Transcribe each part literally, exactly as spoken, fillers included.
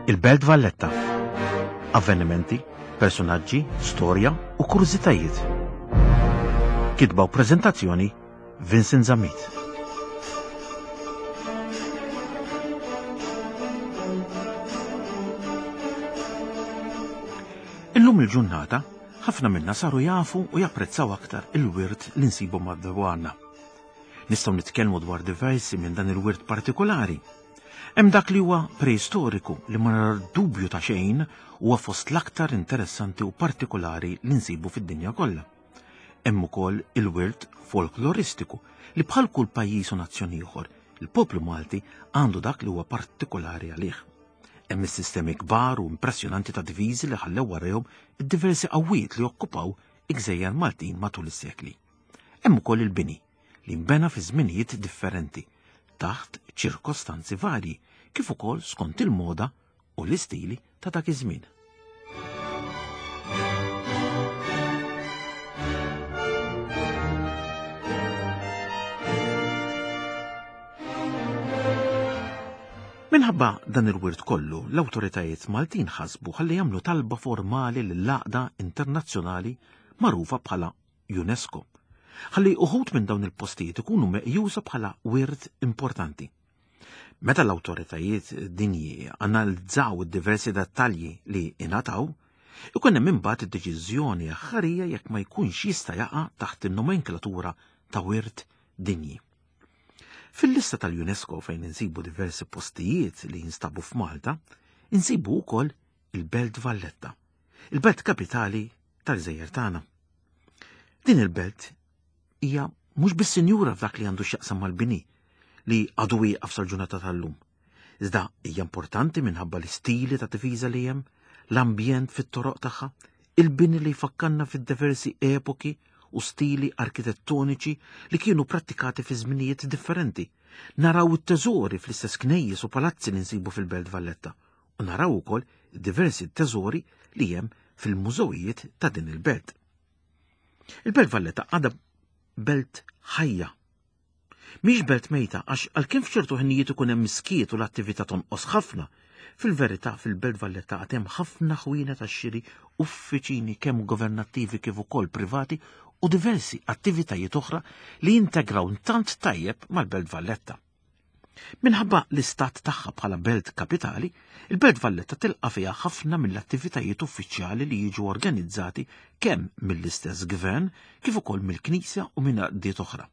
Il-Belt Valletta. Avvenimenti, personaġġi, storja u kurżitajiet. Kitba u preżentazzjoni Vincent Zammit. Illum il-ġurnata, ħafna minna saru jafu u japprezzaw aktar il-wirt li nsibu madwarna. Nistgħu nitkellmu dwar diversi minn dan il-wirt partikolari. Hemm dak li huwa preistoriku li ma dubju ta' xejn huwa fost l-aktar interessanti u partikolari li nsibu fid-dinja kollha. Hemm ukoll il-wirt folkloristiku li bħal kull pajjiż u nazzjon ieħor, il-poplu Malti għandu dak li huwa partikolari għalih. Hemm is-sistemi kbar u impressjonanti ta' diviżi li ħallew warahom id-diversi qawwiet li okkupaw il-gżejjer Maltin matul is-sekli. Hemm ukoll il-bini li nbena fi żminijiet differenti taħt ċirkostanzi varji kif ukoll skont il-moda u l-istili ta' dak iż-żmien. Minħabba dan il-wirt kollu, l-awtoritajiet Maltin ħasbu ħalli jagħmlu talba formali lill-għaqda internazzjonali magħrufa bħala UNESCO. Ħalli uħud minn dawn il-postijiet ikunu meqjusa bħala wirt importanti. Meta l-awtoritajiet dinji analizzaw id-diversi dettalji li ingħataw, ikun hemm imbagħad id-deċiżjoni aħħarija jekk ma jkunx jista' jaqa' taħt in-nomenklatura ta' wirt dinji. Fil-lista tal-UNESCO fejn insibu diversi postijiet li jinstabu f'Malta, insibu wkoll il-Belt Valletta, il-belt kapitali tal-Gżejjer tagħna. Din il-belt hija mhux biss sinjura f'dak li għandu x'jaqsam mal-bini li għadu wieqaf sal-ġurnata tal-lum. Iżda hija importanti minħabba l-istili ta' difiża li hemm, l-ambjent fit-toroq tagħha, il-bini li jfakkarna fid-diversi epoki u stili arkitettoniċi li kienu prattikati fi żminijiet differenti. Naraw it-teżori fl-istess knejjes u palazzi li nsibu fil-Belt Valletta u naraw ukoll diversi teżori li hemm fil-mużewijiet ta' din il-belt. Il-Belt Valletta għadha belt ħajja. Mhix belt mejta għax għalkemm f'ċertu ħinijiet ikun hemm miskiet u l-attività tonqos ħafna, fil-verità fil-Belt Valletta għad hemm ħafna ħwienet tax-xiri, uffiċini kemm governattivi kif ukoll privati u diversi attivitajiet oħra li jintegraw tant tajjeb mal-Belt Valletta. Minħabba l-istat tagħha bħala belt kapitali, il-Belt Valletta tilqa' fiha ħafna mill-attivitajiet uffiċjali li jiġu organizzati kemm mill-istess gvern kif ukoll mill-Knisja u minn għaqdiet oħra.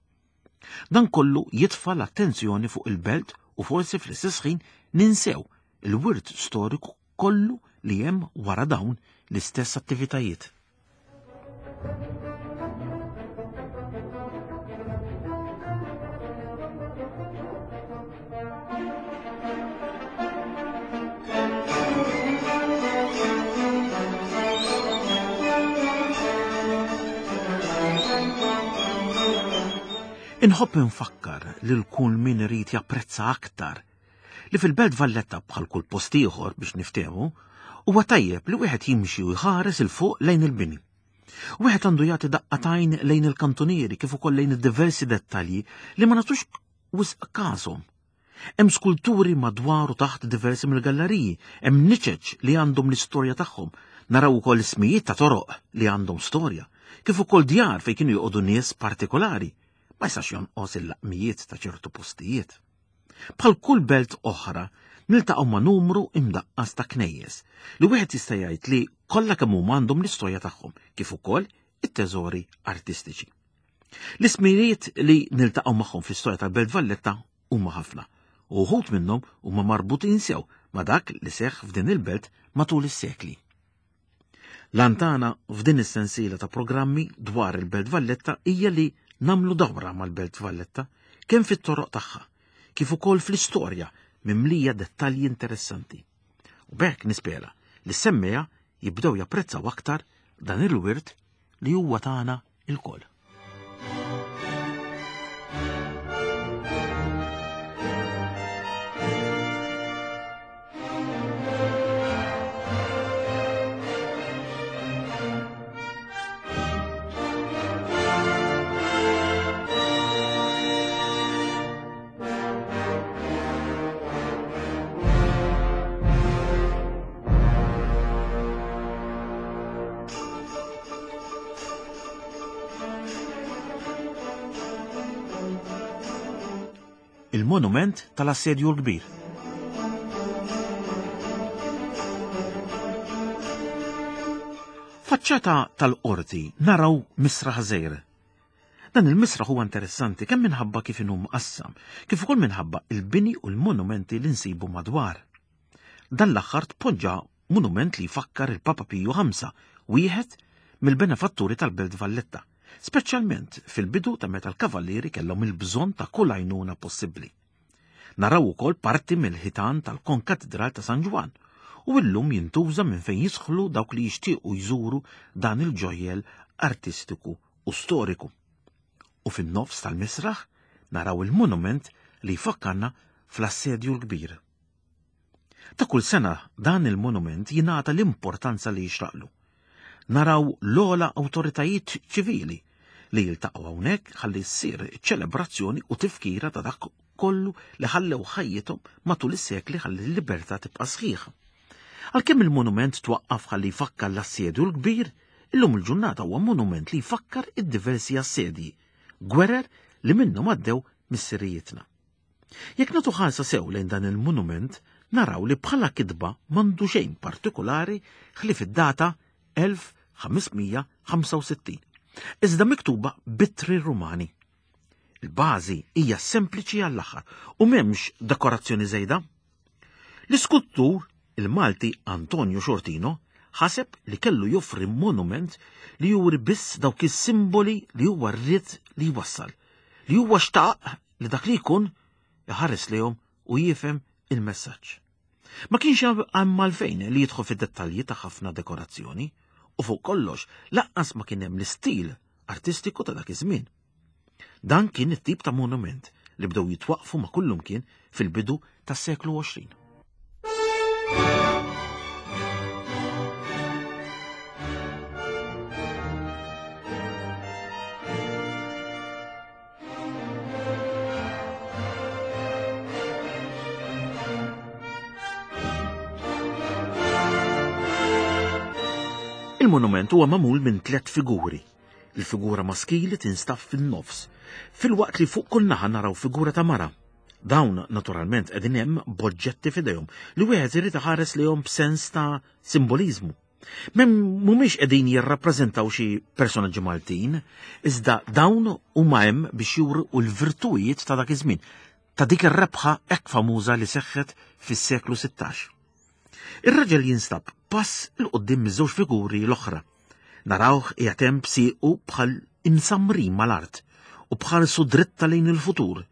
Dan kollu jitfa' l-attenzjoni fuq il-belt u forsi fl-istess ħin ninsew il-wirt storiku kollu li hemm wara dawn l-istess attivitajiet. Inħobb infakkar lil kull min irid japprezza aktar li fil-Belt Valletta bħal kull post ieħor biex niftehmu, huwa tajjeb li wieħed jimxi u jħares il fuq lejn il-bini. Wieħed għandu jagħti daqqa t'għajn lejn il-kantunieri kif ukoll lejn id-diversi dettalji li ma nagħtux wisq każhom. Hemm skulturi madwar u taħt diversi mill-galleriji, hemm niċeċ li għandhom l-istorja tagħhom, naraw ukoll ismijiet ta' toroq li għandhom storja, kif ukoll djar fejn kienu joqogħdu nies partikolari. Ma jistax jonqos il-laqmijiet ta' ċertu postijiet. Bħal kull belt oħra, niltaqgħu ma' numru imdaqqas ta' knejjes li wieħed jista' jgħid li kollha kemm huma għandhom l-istorja tagħhom, kif ukoll it-teżori artistiċi. L-ismijiet li niltaqgħu magħhom fl-istorja tal-Belt Valletta huma ħafna, u wħud minnhom huma marbutin sew ma' dak li seħħ f'din il-belt matul is-sekli. L-antana f'din is-sensiela ta' programmi dwar il-Belt Valletta hija li nagħmlu dawra mal-Belt Valletta kemm fit-toroq tagħha, kif ukoll fl-istorja mimlija dettalji interessanti. U b'hekk nispera li s-semmeja jibdew japprezzaw aktar dan il-wirt li huwa tagħna ilkoll. il-monument tal-Assedju l-Kbir. Faċċata tal-qorti naraw misraħ żgħir. Dan il-misraħ huwa interessanti kemm minħabba kif inhu mqassam, kif ukoll minħabba il-bini u l-monumenti li nsibu madwar. Dan l-aħħar tpoġġa monument li jfakkar il-Papa Piju ħamsa, wieħed mill-benefatturi tal-Belt Valletta, speċjalment fil-bidu ta' meta l-kavallieri kellhom il-bżonn ta' kull għajnuna possibbli. Naraw ukoll parti mill-ħitan tal-Konkatedral ta' San Ġwann u llum jintuża minn fejn jidħlu dawk li jixtiequ jżuru dan il-ġojjel artistiku u storiku. U fin-nofs tal-misraħ naraw il-monument li jfakkarna fl-Assedju l-Kbir. Ta' kull sena dan il-monument jingħata l-importanza li jixraqlu. Naraw l-ogħla awtoritajiet ċivili li jiltaqgħu hawnhekk ħalli ssir ċelebrazzjoni u tifkira ta' dak kollu li ħallew ħajjithom matul is-sekli ħalli l-libertà tibqa' sħiħa. Għalkemm il-monument twaqqaf ħalli jfakkar l-Assedju l-Kbir, illum il-ġurnata huwa monument li jfakkar id-diversi assedji, gwerer li minnhom għaddew missirijietna. Jekk nagħtu ħarsa sew lejn dan il-monument, naraw li bħala kitba m'għandu xejn partikolari ħlief id-data elf ħamesmija ħamsa u sittin, iżda miktuba b'ittri Rumani. Il-bażi hija sempliċi għall-aħħar u m'hemmx dekorazzjoni żejda. L-iskultur il-Malti Antonio Sciortino ħaseb li kellu joffri monument li juri biss dawk is-simboli li huwa rrid li jwassal, li huwa xtaq li dak li jkun iħares lejhom u jifhem il-messaġġ. Ma kienx hemm għalfejn li jidħol fid-dettalji ta' ħafna dekorazzjoni u fuq kollox lanqas ma kien hemm l-istil artistiku ta' dak iż-żmien. Dan kien it-tip ta' monument li bdew jitwaqfu ma' kullum kien fil-bidu tas-seklu għoxrin. Il-monument huwa magħmul minn tliet figuri. Il-figura maskili tinstab fin-nofs, filwaqt li fuq kull naħa naraw figura ta' mara. Dawn naturalment qegħdin hemm b'oġġetti f'idejhom li wieħed irid iħares lejhom b'sens ta' simboliżmu. Mem mhumiex qegħdin jirrappreżentaw xi personaġġi Maltin, iżda dawn huma hemm biex juru l-virtujiet ta' dak iż-żmien, ta' dik ir-rebħa hekk famuża li seħħet fis-seklu sittax. Ir-raġel jinstab pass il quddiem miż-żewġ figuri l-oħra. Narawh qiegħed hemm b'siequ bħal imsamrin mal-art u bħarsu dritta lejn il-futur.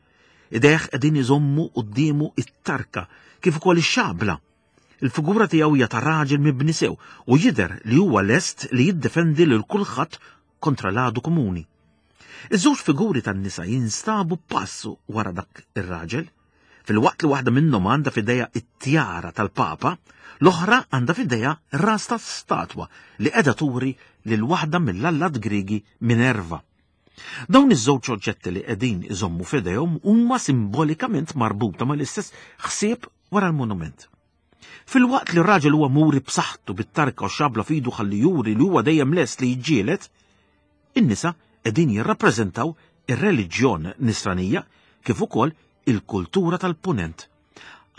Idejh qegħdin iżommu quddiemu it-tarka kif ukoll ix-xabla. Il-figura tiegħu hija ta' raġel mibni sew u jidher li huwa lest li jiddefendi lil kulħadd kontra l-għadu komuni. Iż-żewġ figuri tan-nisa jinstabu passu wara dak ir-raġel. Fil-waqt li waħda minnhom għandha f'idejha it-tjara tal-Papa, l-oħra għandha f'idejha ras ta' statwa li qiegħda turi lil waħda mill-allat Griegi Minerva. Dawn iż-żewġ oġġetti li qegħdin iżommu f'idejhom huma simbolikament marbuta mal-istess ħsieb wara l-monument. Fil-waqt li r-raġel huwa muri b'saħħtu bit-tarka u xabla f'idu ħalli juri li huwa dejjem lest li jiġġieled, in-nisa qegħdin jirrappreżentaw ir-reliġjon nisranija kif ukoll il-kultura tal-punent.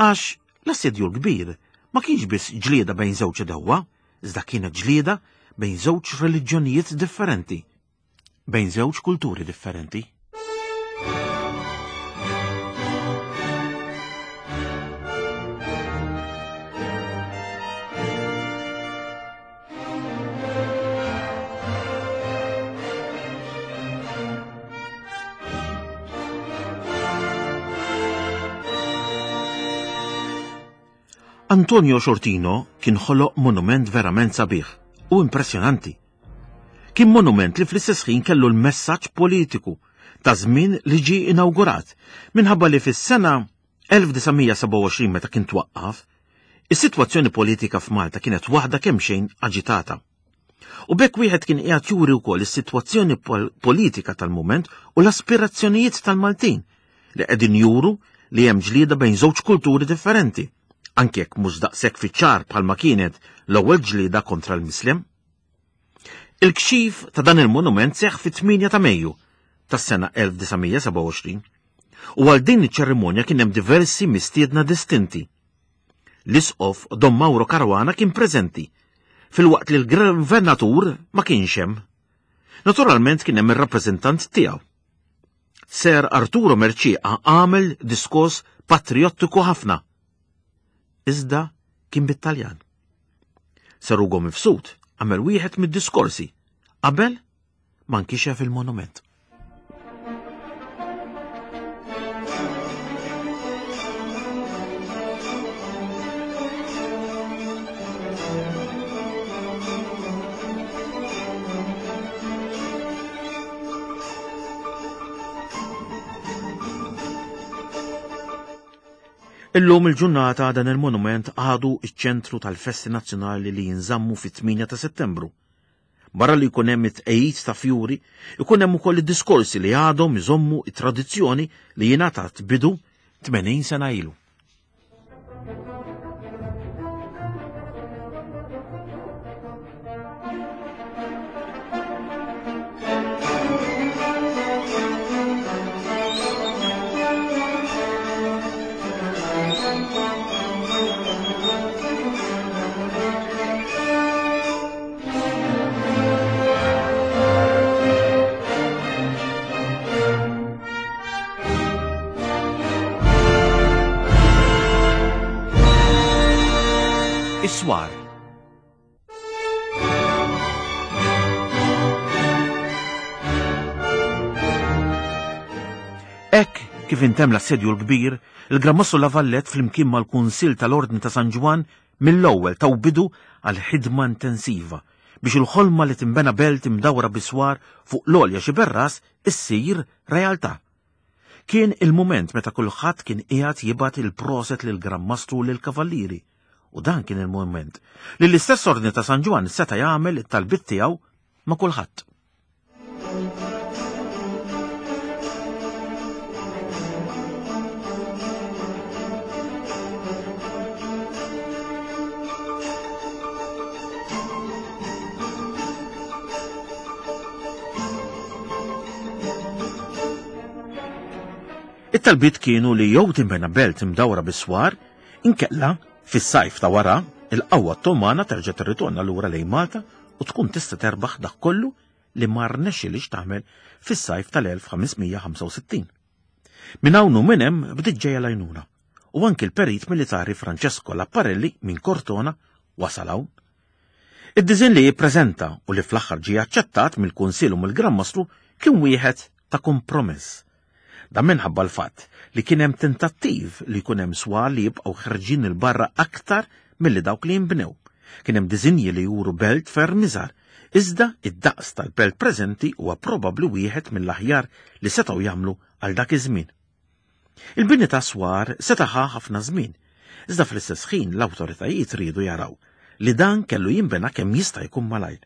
Għax l-Assedju l-Kbir ma kienx biss ġlieda bejn żewġ dewwa, iżda kienet ġlieda bejn żewġ reliġjonijiet differenti, bejn żewġ kulturi differenti. Antonio Sciortino kien ħoloq monument verament sabiħ u impressjonanti. Kien monument li fl-istess ħin kellu l-messaġġ politiku ta' żmien li ġie inawgurat minħabba li fis-sena elf disa' mija seba' u għoxrin meta kien twaqqaf, is-sitwazzjoni politika f'Malta kienet waħda kemm xejn aġitata. U b'hekk wieħed kien qiegħed juri wkoll is-sitwazzjoni pol-, politika tal-mument u l-aspirazzjonijiet tal-Maltin li qegħdin juru li hemm ġlieda bejn żewġ kulturi differenti, anke jekk mhux daqshekk fiċ-ċar bħalma kienet l-ewwel ġlieda kontra l-Mislem. Il-kxif ta' dan il-monument seħħ fit-tmienja ta' Mejju tas-sena elf disa' mija seba' u għoxrin. U għal din iċ-ċerimonja kien hemm diversi mistiedna distinti. L-isqof Dom Mauro Caruana kien preżenti, filwaqt li l-gvernatur ma kienx hemm. Naturalment kien hemm ir-rappreżentant tiegħu. Ser Arturo Mercieca għamel diskors patriottiku ħafna. Iżda kien bit-Taljan. Sir Ugo Mifsud għamel wieħed mid-diskorsi qabel ma nkixef il-monument. Illum il-ġurnata dan il-monument għadu iċ-ċentru tal-festi nazzjonali li jinżammu fit-tmienja ta' Settembru. Barra li jkun hemm it-tqejjid ta' fjuri, ikun hemm ukoll id-diskorsi li għadhom iżommu it-tradizzjoni li jingħatat bidu tmenin sena ilu. Is-swar. Hekk kif intemm l-assedju l-kbir, il-Gran Mastru La Valette flimkien mal-Kunsill tal-Ordni ta' San Ġwann mill-ewwel taw bidu għal ħidma intensiva biex il-ħolma li tinbena belt imdawra biswar fuq l-għolja Xiberras issir realtà. Kien il-mument meta kulħadd kien qiegħed jibgħat il-proset lil Gran Mastru u lill-Kavallieri. U dan kien il-moment li l-istess Ordni ta' San Ġwann seta' jagħmel it-talbit tiegħu ma' kulħadd. It-talbit kienu li jew tinbena belt imdawra bis-swar, inkella fis-sajf ta' wara, il-qawwa Ottomana terġa' tirritorna lura lejn Malta u tkun tista' terbaħ dak kollu li ma rnexxilix tagħmel fis-sajf tal-elf ħames mija ħamsa u sittin. Minn hawn u minn hemm bdiet ġejja l-għajnuna u anki l-perit militari Francesco Laparelli minn Cortona wasal hawn. Id-diżinn li jippreżenta u li fl-aħħar ġie aċċettat mill-Kunsill u mill-Gran Mastru kien wieħed ta' kompromess. Dan minħabba l-fatt li kien hemm tentattiv li jkun hemm swar li jibqgħu ħerġin il-barra aktar milli dawk li jinbnew. Kien hemm diżinji li juru belt ferm iżgħar, iżda id-daqs tal-belt preżenti huwa probabbli wieħed mill-aħjar li setgħu jagħmlu għal dak iż-żmien. Il-bini ta' swar seta' ħa ħafna żmien, iżda fl-istess ħin l-awtoritajiet riedu jaraw li dan kellu jinbena kemm jista' jkun malajr.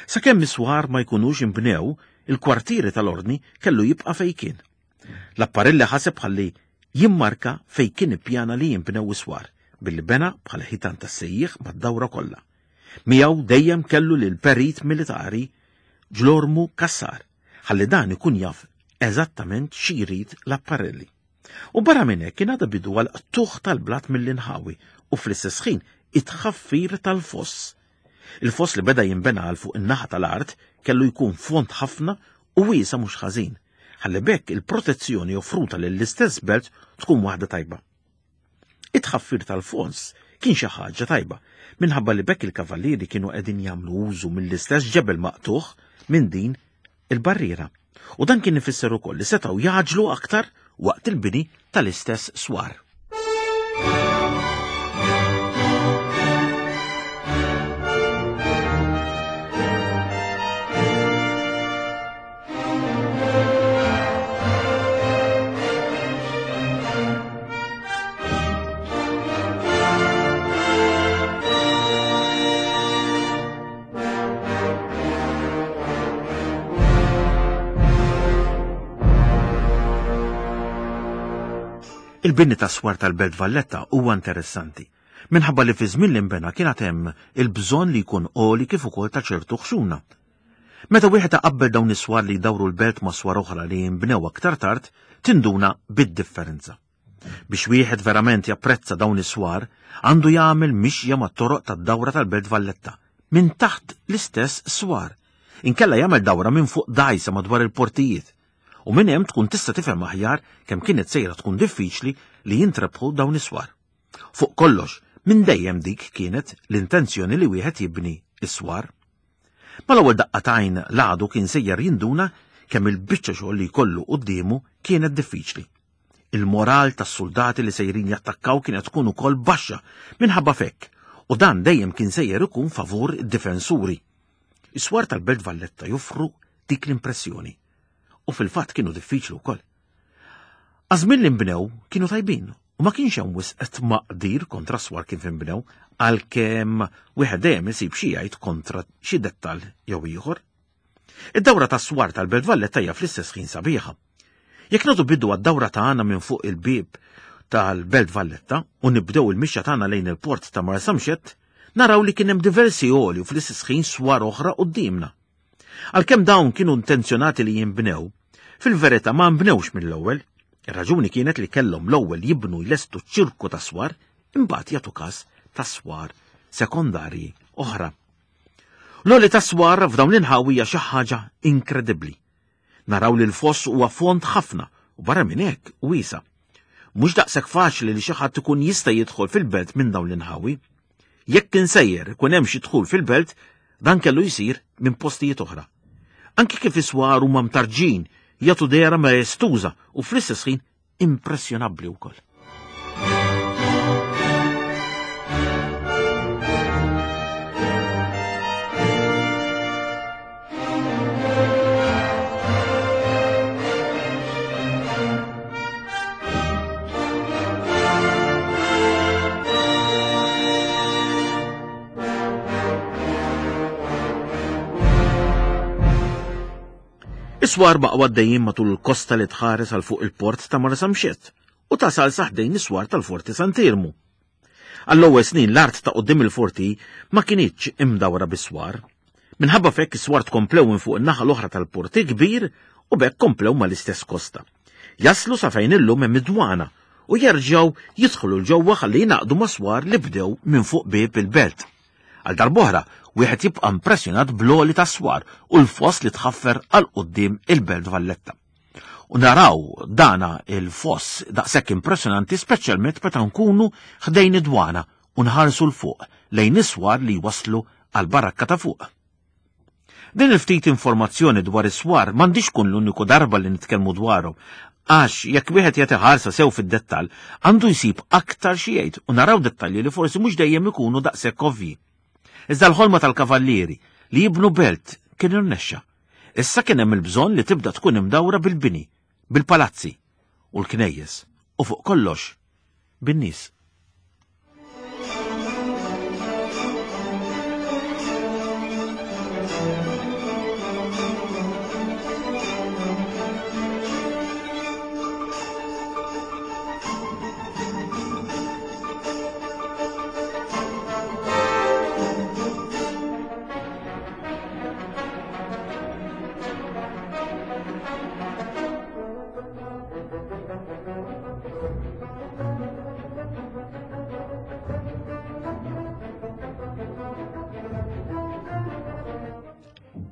Sakemm is-swar ma jkunux inbnew, il-kwartieri tal-ordni kellu jibqa' fejn kien. Laparelli ħaseb ħalli jimmarka fejn kien ippjana li jinbnew is-swar, billi bena bħala ħitan tas-sejjieħ mad-dawra kollha. Miegħu dejjem kellu lil perit militari Ġlormu Cassar, ħalli dan ikun jaf eżattament xi jrid Laparelli. U barra minn hekk kien għadha bidu għal qtuħ tal-blat mill-inħawi u fl-istess ħin it-tħaffir tal-foss. Il-foss li beda jinbena għal fuq in-naħa tal-art kellu jkun fond ħafna u wiesa mhux ħażin, ħalli bekk il-protezzjoni offruta lill-istess belt tkun waħda tajba. It-tħaffir tal-fons kien xi ħaġa tajba, minħabba li bekk il-kavallieri kienu qegħdin jagħmlu użu mill-istess ġebel maqtuħ minn din il-barriera. U dan kien ifisser ukoll li setgħu jaġlu aktar waqt il-bini tal-istess swar. Il-bini ta' swar tal-Belt Valletta huwa interessanti, minħabba li fi żmien li nbena kien għad hemm il-bżonn li jkun għoli kif ukoll ta' ċertu ħxuna. Meta wieħed iqabbel dawn is-swar li jdawru l-belt ma' swar oħra li jinbnew aktar tard, tinduna bid-differenza. Biex wieħed verament japprezza dawn is-swar, għandu jagħmel mixja mat-toroq tad-dawra tal-Belt Valletta, minn taħt l-istess swar. Inkella jagħmel dawra minn fuq dgħajsa madwar il-portijiet. U minn hemm tkun tista' tifhem aħjar kemm kienet sejra tkun diffiċli li jintrebħu dawn is-swar. Fuq kollox, minn dejjem dik kienet l-intenzjoni li wieħed jibni is-swar. Mal-ewwel daqqa t'għajn l-għadu kien sejjer jinduna kemm il-biċċa xogħol li jkollu quddiemu kienet diffiċli. Il-moral tas-soldati li sejrin jattakkaw kienet tkun ukoll baxxa minħabba fekk, u dan dejjem kien sejjer ikun favur id-difensuri. Is-swar tal-Belt Valletta joffru dik l-impressjoni. U fil-fatt kienu diffiċli wkoll. Għaż-żmien li nbnew kienu tajbin u ma kienx hemm wisq tmaqdir kontra swar kif inbnew, għalkemm wieħed dejjem isib xi jgħid kontra xi dettall jew ieħor. Id-dawra tas-swar tal-Belt Valletta hija fl-istess ħin sabiħa. Jekk nagħtu bidu għad-dawra tagħna minn fuq il-bieb tal-Belt Valletta u nibdew il-mixja tagħna lejn il-port ta' Marsamxett, naraw li kien hemm diversi għoli u fl-istess ħin swar oħra quddiemna. Għalkemm dawn kienu intenzjonati li jinbnew, fil-verità ma nbnewx mill-ewwel. Ir-raġuni kienet li kellhom l-ewwel jibnu jlestu ċirku ta' swar, imbagħad jagħtu każ ta' swar sekondarji oħra. L-għoli ta' swar f'dawn l-inħawi hija xi ħaġa inkredibbli. Naraw li l-foss huwa fond ħafna u barra minn hekk wiesa'. Mhux daqshekk faċli li xi ħadd ikun jista' jidħol fil-belt minn dawn l-inħawi. Jekk kien sejjer ikun hemm xi dħul fil-belt, dan kellu jsir minn postijiet oħra. Anki kif is-swar huma mtarġin jagħtu dehra maestuża u fl-istess ħin impressjonabbli wkoll. Is-swar baqgħu għaddejjin matul il-kosta li tħares għal fuq il-port ta' Marsamxett u tasal sa ħdejn is-swar tal-Forti Sant'Iermu. Għall-ewwel snin l-art ta' quddiem il-forti ma kinitx imdawra bis-swar. Minħabba fekk is-swar tkomplew minn fuq in-naħa l-oħra tal-porti kbir u b'hekk komplew mal-istess kosta. Jaslu sa fejn illum hemm id-dwana u jerġgħu jidħlu l ġewwa ħalli jingħaqdu ma' swar li bdew minn fuq bieb il-belt. Għal darb'oħra, wieħed jibqa' impressjonat bl-għoli tas-swar u l-foss li tħaffer għal quddiem il-Belt Valletta. U naraw dana il-foss daqshekk impressjonanti speċjalment meta nkunu ħdejn id-dwana u nħarsu l fuq lejn is-swar li jwasslu għal barakka ta' fuq. Din il-ftit informazzjoni dwar is-swar m'għandix tkun l-uniku darba li nitkellmu dwarhom, għax jekk wieħed jagħti ħarsa sew fid-dettall għandu jsib aktar xi jgħid u naraw dettalji li forsi mhux dejjem ikunu daqshekk ovvji. Iżda l-ħolma tal-kavallieri li jibnu belt kien irnexxa. Issa kien hemm il-bżonn li tibda tkun imdawra bil-bini, bil-palazzi u l-knejjes u fuq kollox bin-nies.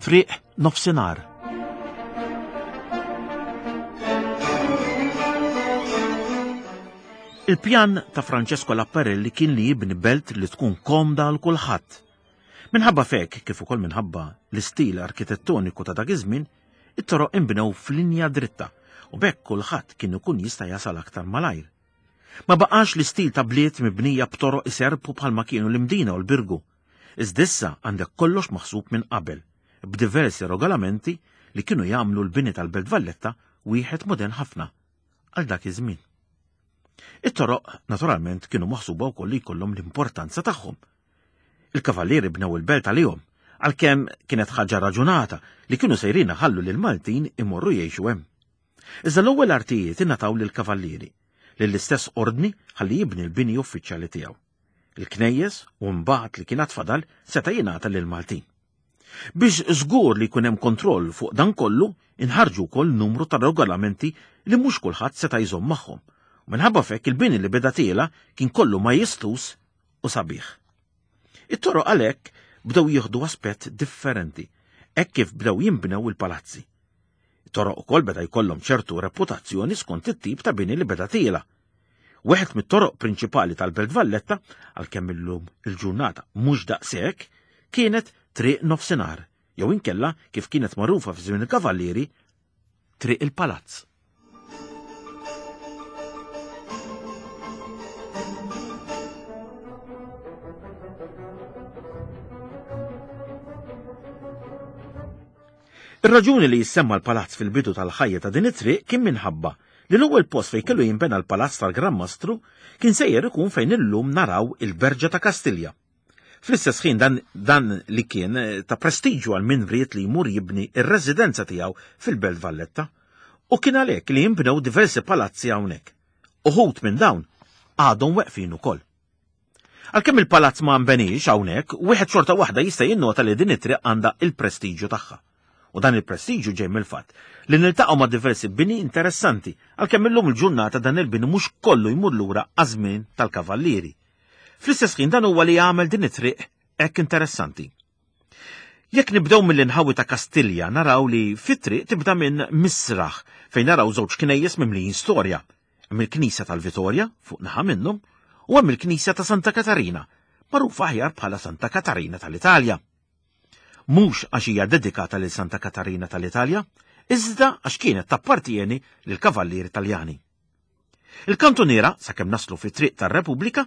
Triq nofsinhar. Il-pjan ta' Francesco Laparelli kien li jibni belt li tkun komda għal kulħadd. Minħabba fek, kif ukoll minħabba l-istil arkitettoniku ta' dak iż-żmien, it-toroq inbnew f'linja dritta u b'hekk kulħadd kien ikun jista' jasal aktar malajr. Ma baqax l-istil ta' bliet mibnija b'toroq iserpu bħalma kienu l-Imdina u l-Birgu. Iżda issa għandek kollox maħsub minn qabel, b'diversi regolamenti li kienu jagħmlu l-bini tal-Belt Valletta wieħed modern ħafna għal dak iż-żmien. It-toroq naturalment kienu maħsuba wkoll li jkollhom l-importanza tagħhom. Il-kavallieri bnew il-belt għalihom, għalkemm kienet ħaġa raġunata li kienu sejrin ħallu lil Maltin imorru jgħixu hemm. Iżda l-ewwel artijiet ingħataw lill-kavallieri, lill-istess ordni ħalli jibni l-bini uffiċjali tiegħu. Il-knejjes u mbagħad li kien fadal seta' jingħata lil Maltin. Biex żgur li jkun hemm kontroll fuq dan kollu, inħarġu wkoll numru ta' regolamenti li mhux kulħadd seta' jżomm magħhom. U minħabba f'hekk il-bini li beda tiela kien kollu majestus u sabiħ. It-toroq għalhekk bdew jieħdu aspett differenti, hekk kif bdew jinbnew il-palazzi. It-toroq ukoll beda jkollhom ċertu reputazzjoni skont it-tip ta' bini li beda tiela. Wieħed mit-toroq prinċipali tal-Belt Valletta, għalkemm illum il-ġurnata mhux daqshekk, kienet Triq Nofsinhar, jew inkella kif kienet magħrufa fi żmien il-Kavallieri, Triq il-Palazz. Ir-raġuni li jissemma l-palazz fil-bidu tal-ħajja ta' din it-triq kien minħabba li l-ewwel post fejn kellu jinbena l-palazz tal-Gran Mastru kien sejjer ikun fejn illum naraw il-Berġa ta' Kastilja. Fl-istess ħin dan, dan li kien ta' prestiġju għal min ried li jmur jibni ir-residenza tiegħu fil-Belt Valletta, u kien għalhekk li jinbnew diversi palazzi hawnhekk. Uħud minn dawn għadhom weqfin ukoll. Għalkemm il-palazz ma nbenix hawnhekk, wieħed xorta waħda jista' jinnota li din it-triq għandha il-prestiġju tagħha. U dan il-prestiġju ġej mill-fatt li niltaqgħu ma' diversi bini interessanti, għalkemm illum il-ġurnata dan il-bini mhux kollu jmur lura għaż-żmien tal-Kavallieri. Fl-istess ħin dan huwa li jagħmel din it-triq hekk interessanti. Jekk nibdew mill-inħawi ta' Kastilja naraw li fit-triq tibda minn Misraħ fejn naraw żewġ knejjes mimlijin storja. Hemm il-Knisja tal-Vitorja fuq naħa minnhom u hemm il-Knisja ta' Santa Katarina, magħrufa aħjar bħala Santa Katarina tal-Italja. Mhux għax hija dedikata lil Santa Katarina tal-Italja, iżda għax kienet tappartieni lil kavallieri Taljani. Il-kantuniera, sakemm naslu fit-triq tar-Repubblika,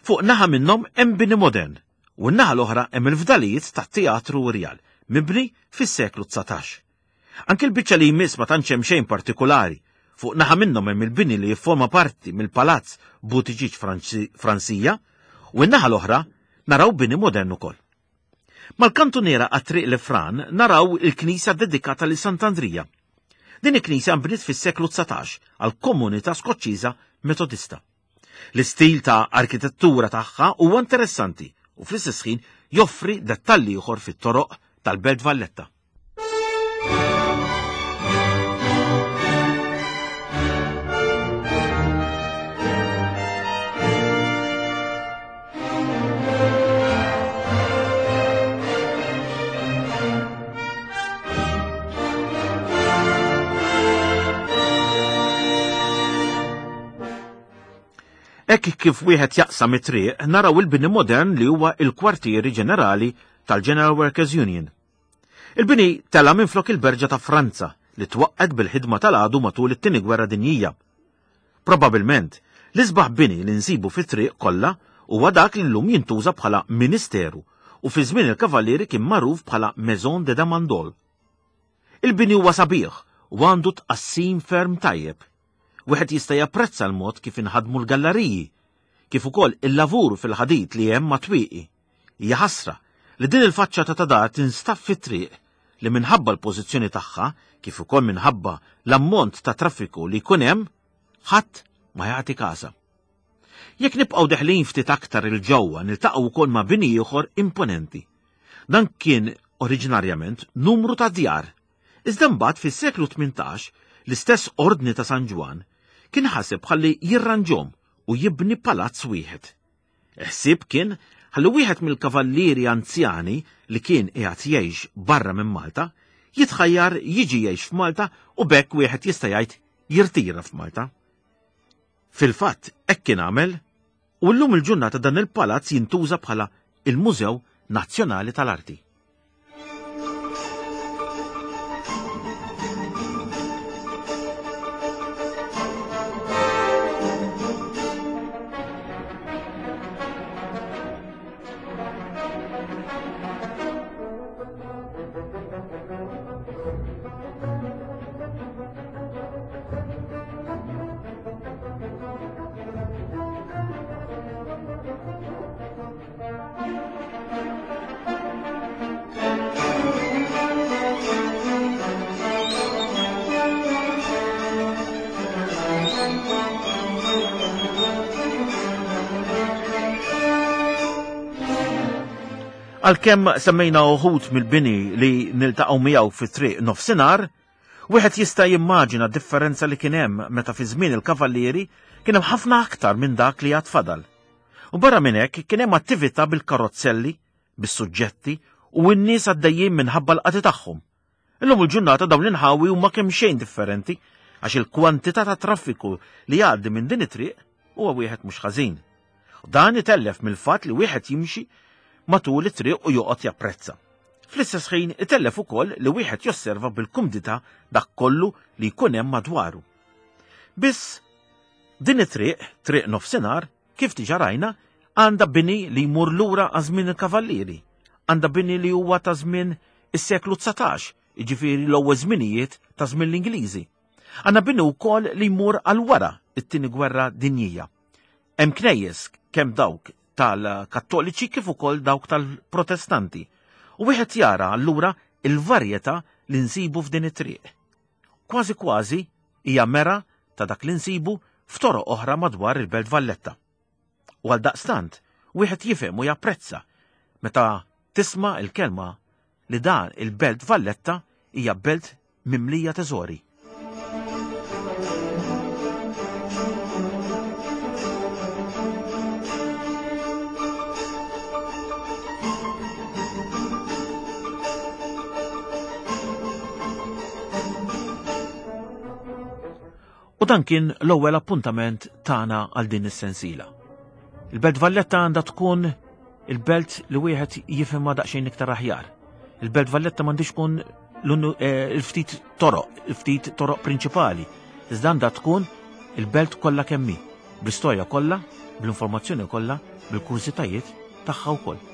fuq naħa minnhom hemm bini modern u n-naħa l-oħra hemm il-fdalijiet tat-Teatru Rjal, mibni fis-seklu dsatax. Anke l-biċċa li jmiss ma tantx hemm xejn partikolari. Fuq naħa minnhom hemm il-bini li jifforma parti mill-Palazz Buttigieg Fransija u n-naħa l-oħra naraw bini modern ukoll. Mal-kantuniera għat-triq Lefran naraw il-knisja dedikata lil Sant'Andrija. Din il-knisja nbniet fis-seklu dsatax għal komunità Skoċċiża Metodista. L-istil ta' arkitettura tagħha huwa interessanti u fl-istess ħin joffri dettalji ieħor fit-toroq tal-Belt Valletta. Hekk kif wieħed jaqsam it-triq naraw il-bini modern li huwa il-kwartieri ġenerali tal-General Workers Union. Il-bini tela minflok il-Berġa ta' Franza li twaqqet bil-ħidma tal-għadu matul it-Tieni Gwerra Dinjija. Probabilment, l-isbaħ bini li nsibu fit-triq kollha huwa dak li llum jintuża bħala ministeru u fi żmien il-Kavallieri kien magħruf bħala Maison de Damandol. Il-bini huwa sabiħ u għandu tqassim ferm tajjeb. Wieħed jista' japprezza l-mod kif inħadmu l-galleriji, kif ukoll il-lavur fil-ħadid li hemm ma' twieqi. Hija ħasra li din il-faċċata ta' dar tinstab fit-triq li minħabba l-pożizzjoni tagħha, kif ukoll minħabba l-ammont ta' traffiku li jkun hemm, ħadd ma jagħti każa. Jekk nibqgħu deħlin ftit aktar il-ġewwa niltaqgħu wkoll ma' bini ieħor imponenti. Dan kien oriġinarjament numru ta' djar, iżda mbagħad fis-seklu tmintax l-istess Ordni ta' San Ġwann kien ħaseb ħalli jirranġhom u jibni palazz wieħed. Ħsieb kien ħalli wieħed mill-kavallieri anzjani li kien qiegħed jgħix barra minn Malta jitħajjar jiġi jgħix f'Malta u b'hekk wieħed jista' jgħid jirtira f'Malta. Fil-fatt hekk kien għamel u llum il-ġurnata dan il-palazz jintuża bħala il-Mużew Nazzjonali tal-Arti. Għalkemm semmejna uħud mill-bini li niltaqgħu miegħu fi triq nofsinhar, wieħed jista' jimmaġina differenza li kien hemm meta fi żmien il-Kavallieri kien hemm ħafna aktar minn dak li għad fadal. U barra minn hekk kien hemm attività bil-karozzelli, bis-suġġetti u n-nies għaddejjin minħabba l-qati tagħhom. Illum il-ġurnata dawn l-inħawi huma kemm xejn differenti għax il-kwantità ta' traffiku li jgħaddi minn din it-triq huwa wieħed mhux ħażin. U dan itellef mill-fatt li wieħed jimxi matul it-triq u joqgħod japprezza. Fl-istess ħin itellef ukoll li wieħed josserva bil-kumdità dak kollu li jkun hemm madwaru. Biss din it-triq, triq nofsinhar, kif diġà rajna, għandha bini li jmur lura għal żmien il-Kavallieri, għandha bini li huwa ta' żmien is-seklu dsatax, jiġifieri l-ewwel żminijiet ta' żmien l-Ingliżi. Għandna bini wkoll li jmur għal wara it-tieni gwerra dinjija. Hemm knejjes kemm dawk tal-Kattoliċi kif ukoll dawk tal-Protestanti. U wieħed jara allura il-varjetà li nsibu f'din it-triq. Kważi kważi hija mera ta' dak li nsibu f'toroq oħra madwar il-Belt Valletta. U għal daqstant, wieħed jifhem u japprezza meta tisma' il-kelma li dan il-Belt Valletta hija belt mimlija teżori. U dan kien l-ewwel appuntament tagħna għal din is-sensiela. Il-Belt Valletta għandha tkun il-belt li wieħed jifhimha daqsxejn iktar aħjar. Il-Belt Valletta m'għandix tkun il-ftit toroq, il-ftit toroq prinċipali. Iżda għandha tkun il-belt kollha kemm hi, bl-istorja kollha, bl-informazzjoni kollha, bil-kurżitajiet tagħha wkoll.